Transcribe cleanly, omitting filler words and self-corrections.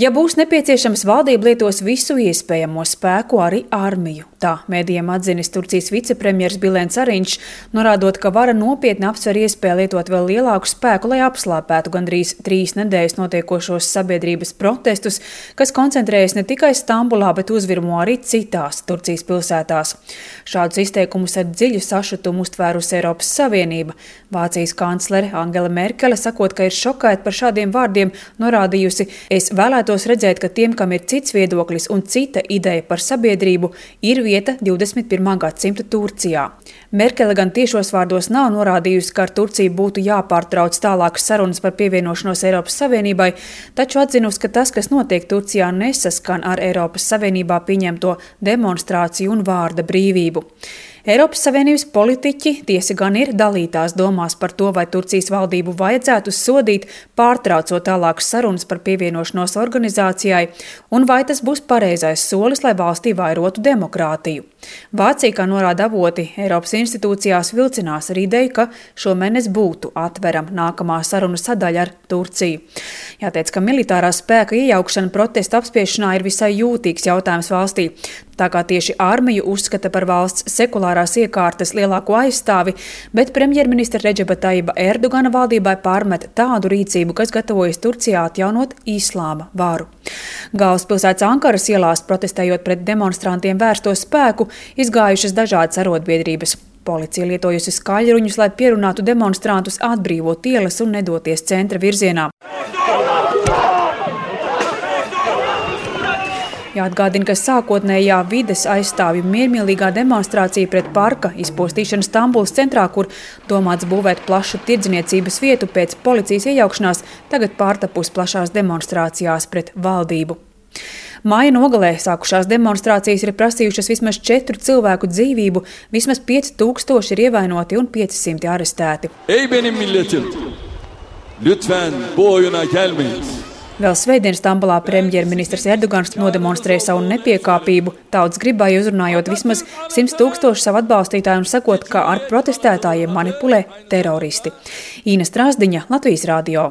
Ja būs nepieciešams, valdība lietos visu iespējamo spēku, arī armiju. Tā mēdījiem atzinis Turcijas vicepremjers Bülent Arīņš, norādot, ka vara nopietni apsver iespēju lietot vēl lielāku spēku, lai apslāpētu gandrīz 3 nedēļas notiekošos sabiedrības protestus, kas koncentrējas ne tikai Stambulā, bet uzvirmo arī citās Turcijas pilsētās. Šādus izteikumus ar dziļu sašutumu uztvērusi Eiropas Savienība. Vācijas kanclere Angela Merkele, sakot, ka ir šokēta par šādiem vārdiem, norādījusi: "Es vēlētos redzēt, ka tiem, kam ir cits viedoklis un cita ideja par sabiedrību, ir vieta 21. gadsimta Turcijā." Merkele gan tiešos vārdos nav norādījusi, ka ar Turciju būtu jāpārtrauc tālākas sarunas par pievienošanos Eiropas Savienībai, taču atzinusi, ka tas, kas notiek Turcijā, nesaskan ar Eiropas Savienībā pieņemto demonstrāciju un vārda brīvību. Eiropas Savienības politiķi tiesa gan ir dalītās domās par to, vai Turcijas valdību vajadzētu sodīt, pārtraucot tālākas sarunas par pievienošanos organizācijai, un vai tas būs pareizais solis, lai valstī vairotu demokrātiju. Vācija, kā norāda avoti, Eiropas institūcijās vilcinās ar ideju, ka šomēnes būtu atverama nākamā sarunu sadaļa ar Turciju. Jāteic, ka militārā spēka iejaukšana protestu apspiešanā ir visai jūtīgs jautājums valstī. Tā kā tieši armiju uzskata par valsts sekulārās iekārtas lielāko aizstāvi, bet premjerministra Redžeba Tajiba Erdogana valdībai pārmet tādu rīcību, kas gatavojas Turcijā atjaunot islāma varu. Galvaspilsētas Ankaras ielās, protestējot pret demonstrantiem vērsto spēku, izgājušas dažādas arotbiedrības. Policija lietojusi skaļruņus, lai pierunātu demonstrantus atbrīvot ielas un nedoties centra virzienā. Jāatgādina, ka sākotnējā vides aizstāvju miermīlīgā demonstrācija pret parka izpostīšanu Stambulas centrā, kur domāts būvēt plašu tirdzniecības vietu pēc policijas iejaukšanās, tagad pārtapus plašās demonstrācijās pret valdību. Māja nogalē sākušās demonstrācijas ir prasījušas vismaz 4 cilvēku dzīvību, vismaz 5000 ir ievainoti un 500 arestēti. Ey benim milletim, lütfen bu oyuna gelmeyin. Vēl svētdien Stambulā premjerministrs Erdogans nodemonstrēja savu nepiekāpību, tautas gribai uzrunājot vismaz 100 000 savu atbalstītāju un sakot, ka ar protestētājiem manipulē teroristi. Īna Strasdiņa, Latvijas radio.